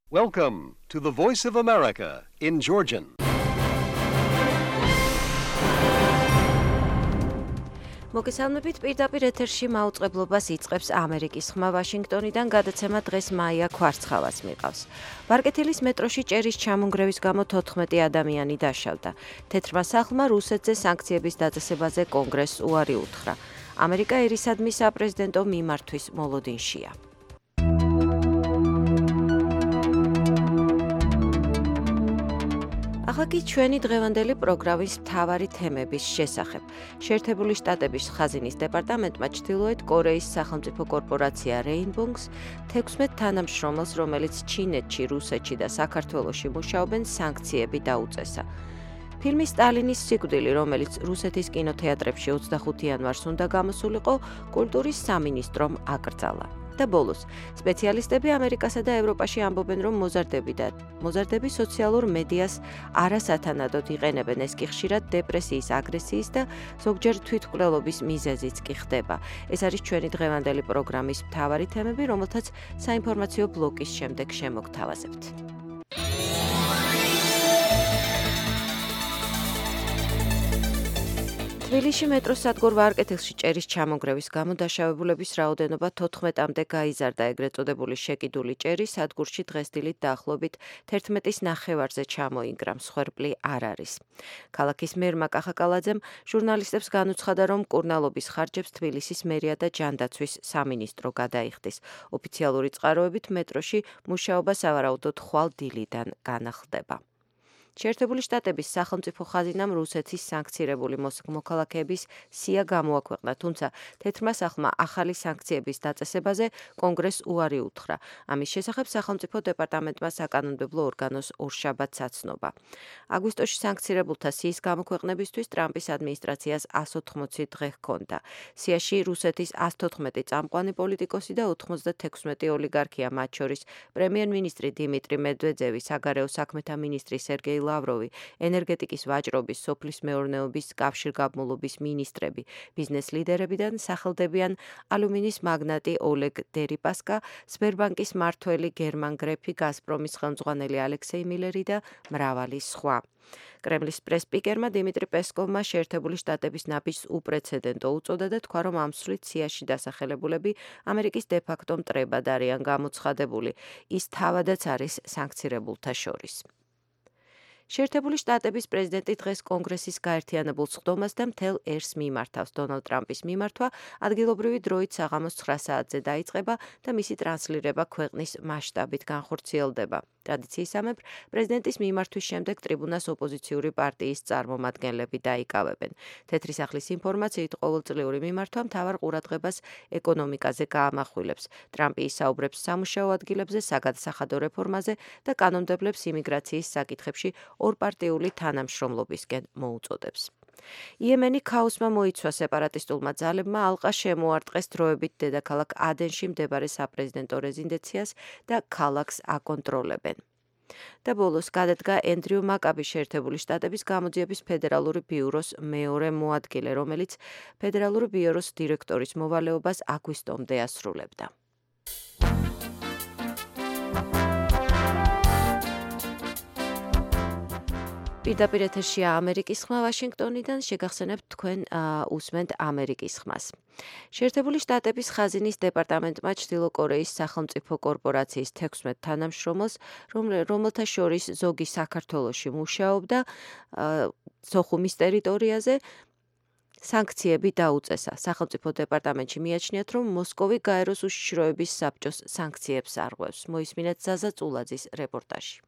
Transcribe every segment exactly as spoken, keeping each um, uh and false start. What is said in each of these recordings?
Welcome to the Voice of America in Georgian. მოგესალმებით, პირდაპირ ეთერში მაუწყებლობას იწყებს ამერიკის ხმა ვაშინგტონიდან, გადაცემა დღეს მაია ქვარცხალას მიყავს. ბარკეთილის მეტროში ჭერის ჩამონგრევის გამო თოთხმეტი ადამიანი დაშავდა. თეთრმა სახლმა რუსეთზე სანქციების დაწესებაზე კონგრესს უარი უთხრა. ამერიკა ერისადმი საპრეზიდენტო მიმართვის მოლოდინშია. ახლა კი ჩვენი დღევანდელი პროგრამის მთავარი თემების შესახებ. შეერთებული შტატების ხაზინის დეპარტამენტმა ჩრდილოეთ კორეის სახელმწიფო კორპორაცია Rainbow's თექვსმეტ თანამშრომელს, რომელიც ჩინეთში, რუსეთში და საქართველოში მუშაობენ, სანქციები დაუწესა. ფილმი სტალინის სიკვდილი, რომელიც რუსეთის კინოთეატრებში ოცდახუთი იანვარს უნდა გამოსულიყო, კულტურის სამინისტრომ აკრძალა. და ბოლოს, სპეციალისტები ამერიკასა და ევროპაში ამბობენ, რომ მოზარდები და მოზარდები სოციალურ მედიას არასათანადოდ იყენებენ, ეს კი ხშირად დეპრესიის, აგრესიის და ზოგჯერ თვითმკვლელობის მიზეზიც კი ხდება. ეს არის ჩვენი დღევანდელი პროგრამის მთავარი თემები, რომელთაც საინფორმაციო ბლოკის შემდეგ შემოგთავაზებთ. თბილისში მეტროს სადგურ ვარკეთილში ჭერის ჩამონგრევის გამო დაშავებულების რაოდენობა თოთხმეტამდე გაიზარდა. ეგრეთ წოდებული შეკიდული ჭერი სადგურში დღეს დილით დაახლოებით თერთმეტის ნახევარზე ჩამოინგრა, მსხვერპლი არ არის. ქალაქის მერმა კახაკალაძემ ჟურნალისტებს განუცხადა, რომ მკურნალობის ხარჯებს თბილისის მერია და ჯანდაცვის სამინისტრო გადაიხდის. ოფიციალური წყაროებით მეტროში მუშაობა სავარაუდოდ ხვალ დილიდან განახლდება. შეერთებული შტატების სახელმწიფო ხაზინამ რუსეთის სანქცირებული მოქალაქეების სია გამოაქვეყნა, თუმცა თეთრმა სახლმა ახალი სანქციების დაწესებაზე კონგრესს უარი უთხრა. ამის შესახებ სახელმწიფო დეპარტამენტმა საკანონმდებლო ორგანოს ორშაბათს აცნობა. აგვისტოში სანქცირებულთა სიის გამოქვეყნებისთვის ტრამპის ადმინისტრაციას ასი ოთხმოცი დღე ჰქონდა. სიაში რუსეთის ასი თოთხმეტი წამყვანი პოლიტიკოსი და ოცდათექვსმეტი ოლიგარქია, მათ შორის პრემიერ-მინისტრი დიმიტრი მედვედევი, საგარეო საქმეთა მინისტრი სერგეი ლავროვი, ენერგეტიკის ვაჭრობის, სოფლის მეურნეობის, კავშირგაბმულობის მინისტრები, ბიზნეს ლიდერებიდან სახელდებიან ალუმინის მაგნატი ოლეგ დერიპასკა, სბერბანკის მმართველი გერმან გრეფი, გაზპრომის ხელმძღვანელი ალექსეი მილერი და მრავალი სხვა. კრემლის პრეს-სპიკერმა დიმიტრი პესკოვმა შეერთებული შტატების ნაბიჯს უპრეცედენტო უწოდა და თქვა, რომ ამ სვლით სიაში დასახელებულები ამერიკის დე-ფაქტო მტრებად არიან გამოცხადებული. ის თავადაც არის სანქცირებულთა შორის. შეერთებული შტატების პრეზიდენტი დღეს კონგრესის გაერთიანებულ სხდომას და მთელ ერს მიმართავს. დონალდ ტრამპის მიმართვა ადგილობრივი დროით საღამოს ცხრა საათზე დაიწყება და მისი ტრანსლირება ქვეყნის მასშტაბით განხორციელდება. ტრადიციისამებრ, პრეზიდენტის მიმართვის შემდეგ ტრიბუნას ოპოზიციური პარტიის წარმომადგენლები დაიკავებენ. თეთრი სახლის ინფორმაციით, ყოველწლიური მიმართვა მთავარ ყურადღებას ეკონომიკაზე გაამახვილებს. ტრამპი ისაუბრებს სამუშაო ადგილებზე, საგადასახადო რეფორმაზე და კანონმდებლებს იმიგრაციის საკითხებში ორპარტიული თანამშრომლობისკენ მოუწოდებს. იემენი ქაოსმა მოიცვა, სეპარატისტულმა ძალებმა ალყა შემოარტყეს დროებით დედაქალაქ ადენში მდებარე საპრეზიდენტო რეზიდენციას და ქალაქს აკონტროლებენ. და ბოლოს გადადგა ენდრიუ მაკაბი, შეერთებული შტატების გამოძიების ფედერალური ბიუროს მეორე მოადგილე, რომელიც ფედერალური ბიუროს დირექტორის მოვალეობას აგვისტომდე ასრულებდა. პირდაპირ ეთერშია ამერიკის ხმა ვაშინგტონიდან, შეგახსენებთ თქვენ უსმენთ ამერიკის ხმას. შეერთებული შტატების ხაზინის დეპარტამენტმა ჩრდილო კორეის სახელმწიფო კორპორაციის თექვსმეტ თანამშრომელს, რომელთა შორის ზოგი საქართველოში მუშაობდა, სოხუმის ტერიტორიაზე სანქციები დაუწესა. სახელმწიფო დეპარტამენტში მიაჩნიათ, რომ მოსკოვი გაეროს უშიშროების საბჭოს სანქციებს არღვევს. მოისმინეთ ზაზა წულაძის რეპორტაჟი.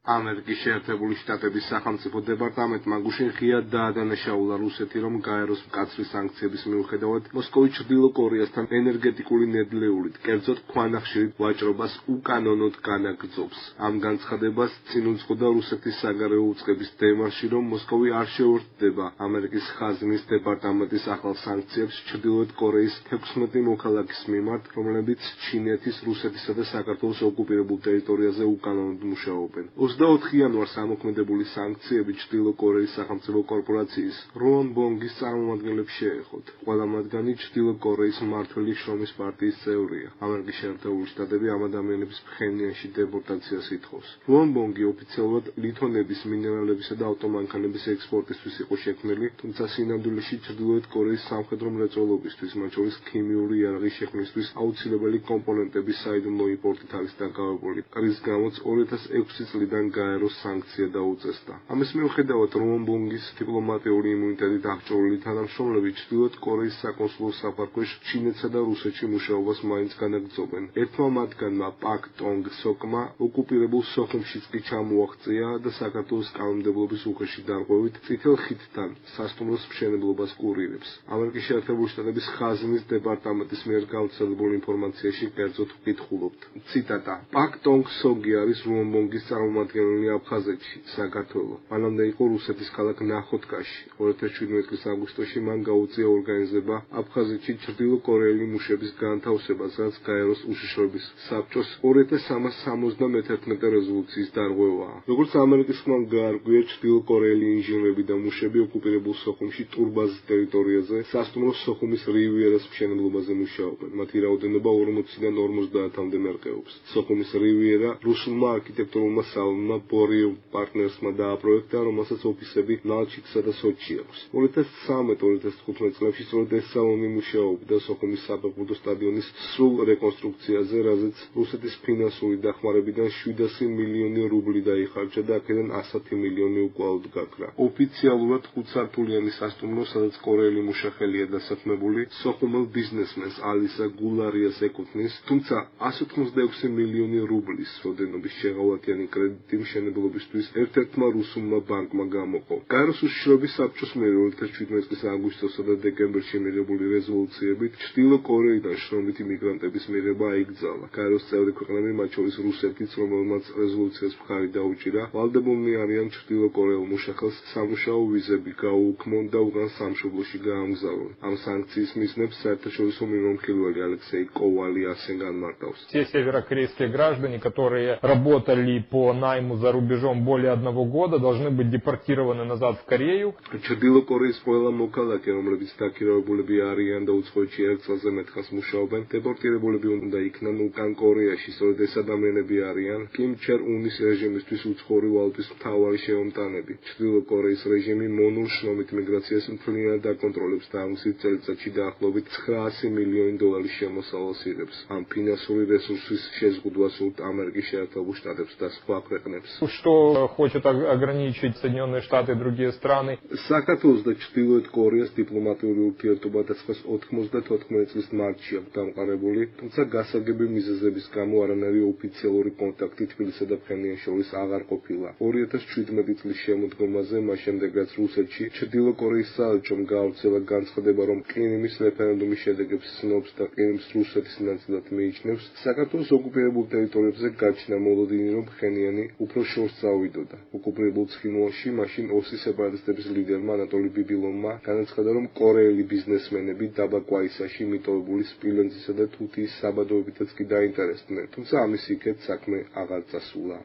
ამერიკის შეერთებული შტატების სახელმწიფო დეპარტამენტმა გუშინ ღიად დაადანაშაულა რუსეთი, რომ გაეროს მკაცრი სანქციების მიუხედავად მოსკოვი ჩრდილო კორეასთან ენერგეტიკული ნედლეულით, კერძოდ ქვანახშირით ვაჭრობას უკანონოდ განაგრძობს. ამ განცხადებას წინ უძღოდა რუსეთის საგარეო უწყების დემარში, რომ მოსკოვი არ შეუერთდება ამერიკის ხაზინის დეპარტამენტის ახალ სანქციებს ჩრდილოეთ კორეის თექვსმეტი მოქალაქის მიმართ, რომლებიც ჩინეთის, რუსეთისა და საქართველოს ოკუპირებულ ტერიტორიაზე უკანონოდ მუშაობენ. ოცდაოთხ იანვარს ამოქმედებული სანქციები ჩრდილო კორეის სახელმწიფო კორპორაციის როონ ბონგის წარმომადგენლებს შეეხოთ. ყველა მათგანი ჩრდილო კორეის მმართველი შრომის პარტიის წევრია. ამერიკის შეერთებული შტატები ამ ადამიანების ფხენიანში დეპორტაციას ითხოვს. როონ ბონგი ოფიციალურად ლითონების, მინერალებისა და ავტომანქანების ექსპორტისთვის იყო შექმნილი, თუმცა სინამდვილეში ჩრდილოეთ კორეის სამხედრო მრეწველობისთვის, მათ შორის ქიმიური იარაღის შექმნისთვის აუცილებელი კომპონენტების საიდუმლო იმპორტით არის დაკავებული. რის გამოც ორი ათას ექვსი წლიდან გაეროს სანქცია დაუწესდა. ამის მიუხედავად როონ ბონგის დიპლომატიური იმუნიტეტით აღჭურვილი თანამშრომლები ჩრდილოეთ კორეის საკონსულო საფარქვეშ ჩინეთსა და რუსეთში მუშაობას მაინც განაგრძობენ. ერთმა მათგანმა პაკ ტონგ სოკმა ოკუპირებულ სოხუმშიც კი ჩამოაღწია და საქართველოს კანონმდებლობის უხეში დარღვევით წითელ ხიდთან სასტუმროს მშენებლობას კურირებს. ამერიკის შეერთებული შტატების ხაზინის დეპარტამენტის მიერ გავრცელებული ინფორმაციაში კერძოდ ვკითხულობთ. ციტატა: პაკ ტონგ სოგი არის როონ ბონგის წარმომადგენელი აფხაზეთში, საქართველო. მანამდე იყო რუსეთის ქალაქ ნახოთკაში. ორი ათას შვიდმეტი წლის აგვისტოში მან გაუწია ორგანიზება აფხაზეთში ჩრდილო კორეელი მუშების განთავსებას, რაც გაეროს უშიშროების საბჭოს ორი ათას სამას სამოცდამეთერთმეტე რეზოლუციის დარღვევაა. როგორც ამერიკის ხმამ გაარკვია, ჩრდილო კორეელი ინჟინრები და მუშები ოკუპირებულ სოხუმში ტურბაზის ტერიტორიაზე სასტუმრო სოხუმის რივიერას მშენებლობაზე მუშაობენ. მათი რაოდენობა ორმოციდან ორმოცდაათამდე მერყეობს. სოხუმის რივიერა რუსულმა არქიტექტურულმა სალონმა ბორიევ პარტნერსმა დააპროექტა, რომელსაც ოფისები ნალჩიკსა და სოჩში აქვს. ორი ათას ცხრამეტ ორი ათას თხუთმეტ წლებში სწორედ ეს სალონი მუშაობდა სოხუმის საფეხბურთო სტადიონის სრულ რეკონსტრუქციაზე, რაზეც რუსეთის ფინანსური დახმარებიდან შვიდასი მილიონი რუბლი დაიხარჯა და აქედან ასი მილიონი უკვალოდ გაქრა. ოფიციალურად ხუთსართულიანი სასტუმრო, სადაც კორეელი მუშახელია დასაქმებული, სოხუმელ ბიზნესმენს ალისა გულარიას ეკუთვნის, თუმცა ასი ოცდაექვსი მილიონი რუბლის როდენობის შეღავათიანი კრედიტი მშენებლობისთვის ერთ-ერთმა რუსულმა ბანკმა გამოყო. გაეროს უშიშროების საბჭოს მიერ ორი ათას შვიდმეტი წლის აგვისტოსა და დეკემბერში მიღებული რეზოლუციებით ჩრდილო კორეიდან შრომითი მიგრანტების მიღება აიკრძალა. გაეროს წევრი ქვეყნები, მათ შორის რუსეთიც, რომელმაც რეზოლუციას მხარი დაუჭირა, ვალდებულნი არიან ჩრდილო კორეელ მუშახელს სამუშაო ვიზები გაუქმონ და უკან სამშობლოში გაამგზავრონ. ამ სანქციის მიზნებს საერთაშორისო მიმომხილველი ალექსეი კოვალი ასე განმარტავს. Все северокорейские граждане, которые работали по найму за рубежом более одного года, должны быть депортированы назад в Корею. ჩრდილო კორეის ყველა მოქალაქე, რომლებიც დაქირავებულები არიან და უცხოეთში ერთ წელზე მეტხანს მუშაობენ, დეპორტირებულები უნდა იქნან უკან კორეაში. სწორედ ეს ადამიანები არიან კიმ ჩერ უნის რეჟიმისთვის უცხოური ვალუტის მთავარი შემომტანები. ჩრდილო კორეის რეჟიმი მონურ შრომით მიგრაციას მთლიანად დაკონტროლებს და ამის წელიწადში დაახლოებით ცხრაასი მილიონი დოლარის შემოსავალს იღებს. ამ ფინანსური რესურსის შეზღუდვა სურთ ამერიკის შეერთებულ შტატებს და სხვა ქვეყნებს. Что хочет ограничить Соединенные Штаты и другие страны. საქართველოს და ჩრდილოეთ კორეას დიპლომატიური ურთიერთობა და ცხრა ოცდაოთხ წლის მარტში აქვს დამყარებული, თუმცა გასაგები მიზეზების გამო არანაირი ოფიციალური კონტაქტი თბილისსა და ფხენიანს შორის აღარ ყოფილა. ორი ათას შვიდმეტი წლის შემოდგომაზე, მას შემდეგ რაც რუსეთში ჩრდილო კორეის საელჩომ გაავრცელა განცხადება, რომ ყირიმის რეფერენდუმის შედეგებს ცნობს და ყირიმს რუსეთის ნაწილად მიიჩნევს, საქართველოს ოკუპირებულ ტერიტორიებზე გაჩნდა მოლოდინი, რომ ფხენიანი უფრო შორს წავიდოდა. ოკუპირებულ ცხინვალში მაშინ ოსის სეპარატისტების ლიდერმა ანატოლი ბიბილოვმა განაცხადა, რომ კორეელი ბიზნესმენები დაბა კვაისაში მიტოვებული სპილენძისა და თუთიის საბადოებითაც კი დაინტერესდნენ, თუმცა ამის იქეთ საქმე აღარ წასულა.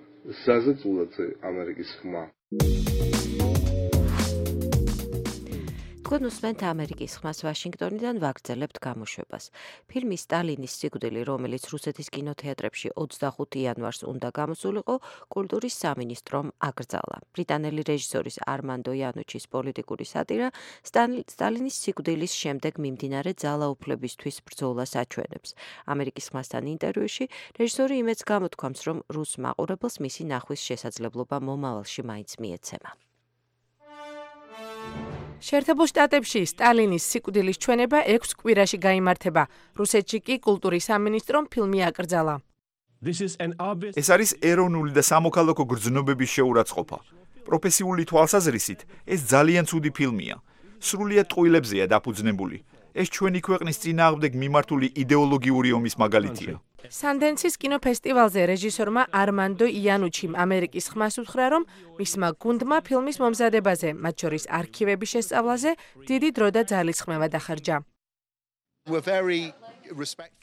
ზაზა წულაძე, ამერიკის ხმა. თქვენ უსმენთ ამერიკის ხმას ვაშინგტონიდან, ვაგრძელებთ გამოშვებას. ფილმი სტალინის სიკვდილი, რომელიც რუსეთის კინოთეატრებში ოცდახუთი იანვარს უნდა გამოსულიყო, კულტურის სამინისტრომ აკრძალა. ბრიტანელი რეჟისორის არმანდო იანუჩის პოლიტიკური სატირა სტალინის სიკვდილის შემდეგ მიმდინარე ძალაუფლებისთვის ბრძოლას აჩვენებს. ამერიკის ხმასთან ინტერვიუში რეჟისორი იმედს გამოთქვამს, რომ რუს მაყურებელს მისი ნახვის შესაძლებლობა მომავალში მაინც მიეცემა. შეერთებულ შტატებში სტალინის სიკვდილის ჩვენება ექვს კვირაში გაიმართება. რუსეთში კი კულტურის სამინისტრომ ფილმი აკრძალა. ეს არის ეროვნული და სამოქალაქო გრძნობების შეურაცხყოფა. პროფესიული თვალსაზრისით ეს ძალიან ცუდი ფილმია. სრულიად ტყუილებზეა დაფუძნებული. ეს ჩვენი ქვეყნის წინააღმდეგ მიმართული იდეოლოგიური ომის მაგალითია. სანდენსის კინოფესტივალზე რეჟისორმა არმანდო იანუჩიმ ამერიკის ხმას უთხრა, რომ მისმა გუნდმა ფილმის მომზადებაზე, მათ შორის არქივების შესწავლაზე, დიდი დრო და ძალისხმევა დახარჯა.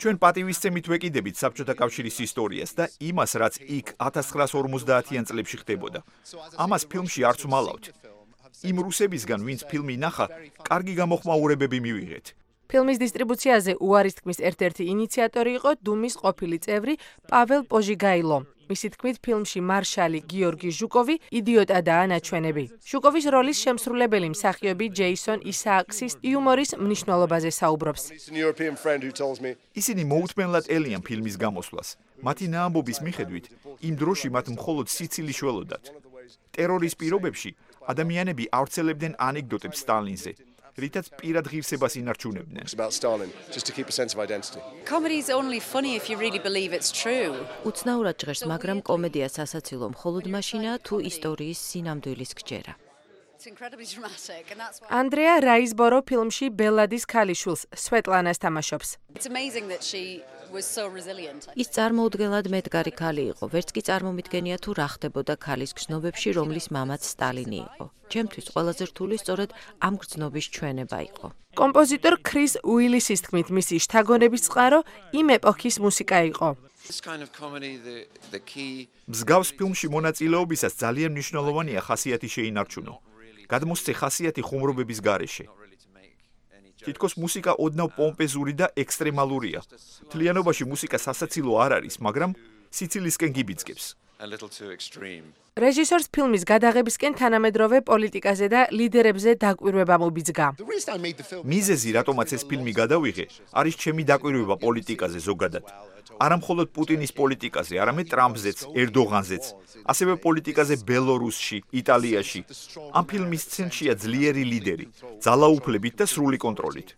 ჩვენ პატივისცემით ვეკიდებით საბჭოთა კავშირის ისტორიას და იმას, რაც იქ ათას ცხრაასი ორმოცდაათიან წლებში ხდებოდა. ამას ფილმში არც ვმალავთ. იმ რუსებისგან, ვინც ფილმი ნახა, კარგი გამოხმაურებები მივიღეთ. ფილმის დისტრიბუციაზე უარის თქმის ერთ-ერთი ინიციატორი იყო დუმის ყოფილი წევრი პაվել პოჟიგაილო. მისი თქმით, ფილმში მარშალი გიორგი ჟუკოვი იდიოტადაა ნაჩვენები. ჟუკოვის როლის შემსრულებელი მსახიობი ჯეისონ ისააქსის იუმორის მნიშვნელობაზე საუბრობს. ისინი მოუთმენლად ელიან ფილმის გამოსვლას. მათი ნაამბობის მიხედვით, იმ დროში მათ მხოლოდ სიცილი შველოდათ. ტერორის პირობებში ადამიანები ავრცელებდნენ ანეკდოტებს სტალინზე, რითაც პირად ღირსებას ინარჩუნებდნენ. უცნაურად ჟღერს, მაგრამ კომედია სასაცილო მხოლოდ მაშინაა, თუ ისტორიის სინამდვილის გჯერა. ანდრეა რაიზბორო ფილმში ბელადის ქალიშვილს, სვეტლანას თამაშობს. ის წარმოუდგენლად მედგარი ქალი იყო, ვერც კი წარმომიდგენია თუ რა ხდებოდა ქალის გრძნობებში, რომლის მამაც სტალინი იყო. ჩემთვის ყველაზე რთული სწორედ ამ გრძნობის ჩვენება იყო. კომპოზიტორ ქრის უილისის თქმით, მისი შთაგონების წყარო იმ ეპოქის მუსიკა იყო. მსგავს ფილმში მონაწილეობისას ძალიან მნიშვნელოვანია ხასიათი შეინარჩუნო. გადმოსცე ხასიათი ხუმრობების გარეშე. თითქოს მუსიკა ოდნავ პომპეზური და ექსტრემალურია. მთლიანობაში მუსიკა სასაცილო არ არის, მაგრამ სიცილისკენ გიბიძგებს. რეჟისორს ფილმის გადაღებისკენ თანამედროვე პოლიტიკაზე და ლიდერებზე დაკვირვება მობიძგა. მიზეზი, რატომაც ეს ფილმი გადავიღე, არის ჩემი დაკვირვება პოლიტიკაზე ზოგადად. არა მხოლოდ პუტინის პოლიტიკაზე, არამედ ტრამპზეც, ერდოღანზეც, ასევე პოლიტიკაზე ბელორუსში, იტალიაში. ამ ფილმის სცენშია ძლიერი ლიდერი, ძალაუფლებით და სრული კონტროლით.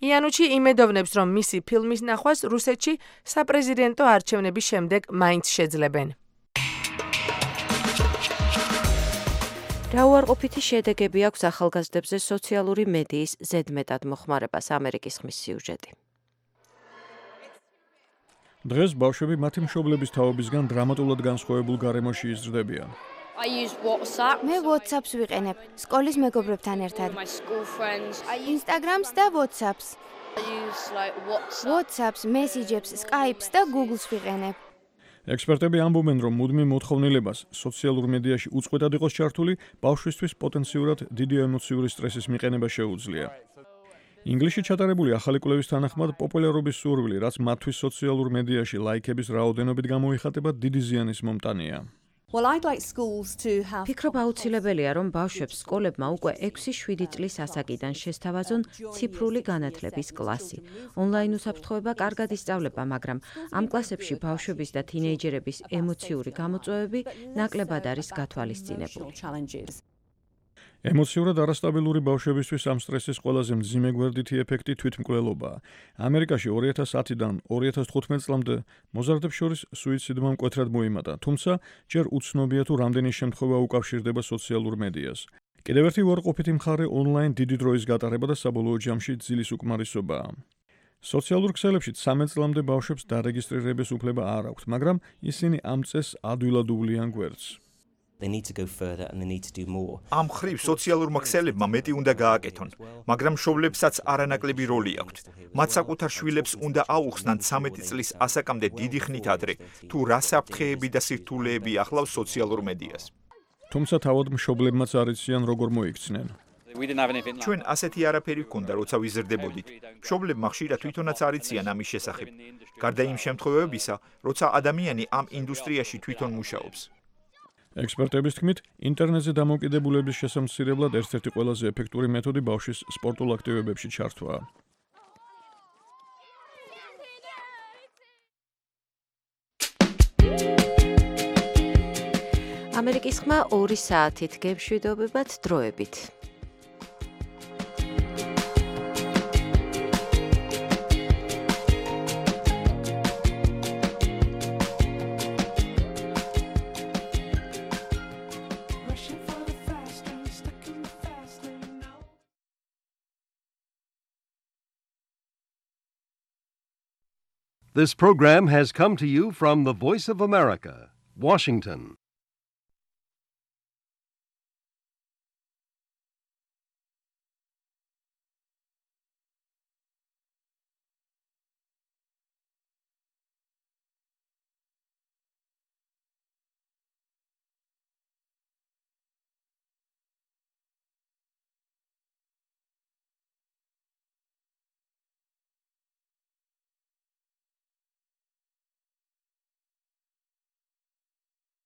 იანუჩი იმედოვნებს, რომ მისი ფილმის ნახვას რუსეთში საპრეზიდენტო არჩევნების შემდეგ მაინც შეძლებენ. რა უარყოფითი შედეგები აქვს ახალგაზრდებზე სოციალური მედიის ზედმეტად მოხმარებას, ამერიკის ხმის სიუჟეტი. დღეს ბავშვები მათი მშობლების თაობისგან დრამატულად განსხვავებულ გარემოში იზრდებიან. მე WhatsApp-ს ვიყენებ სკოლის მეგობრებთან ერთად. Instagram-ს და WhatsApp-ს. WhatsApp-ს, Messages-ს, Skype-ს და Google-ს ვიყენებ. ექსპერტები ამბობენ, რომ მუდმივ მოთხოვნილებას სოციალურ მედიაში უწყვეტად იყოს ჩართული, ბავშვისთვის პოტენციურად დიდი ემოციური სტრესის მიყენება შეუძლია. ინგლისში ჩატარებული ახალი კვლევის თანახმად პოპულარობის სურვილი, რაც მათთვის სოციალურ მედიაში ლაიქების რაოდენობით გამოიხატება, დიდი ზიანის მომტანია. ფიქრობ აუცილებელია, რომ ბავშვებს სკოლებმა უკვე ექვსი შვიდი წლის ასაკიდან შესთავაზონ ციფრული განათლების კლასი. ონლაინ უსაფრთხოება კარგად ისწავლება, მაგრამ ამ კლასებში ბავშვების და თინეიჯერების ემოციური გამოწვევები ნაკლებად არის გათვალისწინებული. ემოციურად არასტაბილური ბავშვებისთვის ამ სტრესის ყველაზე მძიმე გვერდითი ეფექტი თვითმკვლელობაა. ამერიკაში ორი ათას ათიდან ორი ათას თხუთმეტ წლამდე მოზარდებს შორის სუიციდმა მკვეთრად მოიმატა, თუმცა ჯერ უცნობია თუ რამდენი შემთხვევა უკავშირდება სოციალურ მედიას. კიდევ ერთი უარყოფითი მხარე ონლაინ დიდი დროის გატარება და საბოლოო ჯამში ძილის უკმარისობაა. სოციალურ ქსელებში ცამეტ წლამდე ბავშვებს დარეგისტრირების უფლება არ აქვთ, მაგრამ ისინი ამ წესს ადვილად უვლიან გვერდს. ამ მხრივ სოციალურმა ქსელებმა მეტი უნდა გააკეთონ, მაგრამ მშობლებსაც არანაკლები როლი აქვთ. მათ საკუთარ შვილებს უნდა აუხსნან ცამეტი წლის ასაკამდე დიდი ხნით ადრე, თუ რა საფრთხეები და სირთულეები ახლავს სოციალურ მედიას. თუმცა თავად მშობლებმაც არ იციან როგორ მოიქცნენ. ჩვენ ასეთი არაფერი გვქონდა, როცა ვიზრდებოდით. მშობლებმა ხშირად თვითონაც არ იციან ამის შესახებ. გარდა იმ შემთხვევებისა, როცა ადამიანი ამ ინდუსტრიაში თვითონ მუშაობს. ექსპერტების თქმით, ინტერნეტზე დამოკიდებულების შესამცირებლად ერთ-ერთი ყველაზე ეფექტური მეთოდი ბავშვის სპორტულ აქტივობებში ჩართვაა. ამერიკის ხმა ორი საათით გემშვიდობებად დროებით. This program has come to you from the Voice of America, Washington.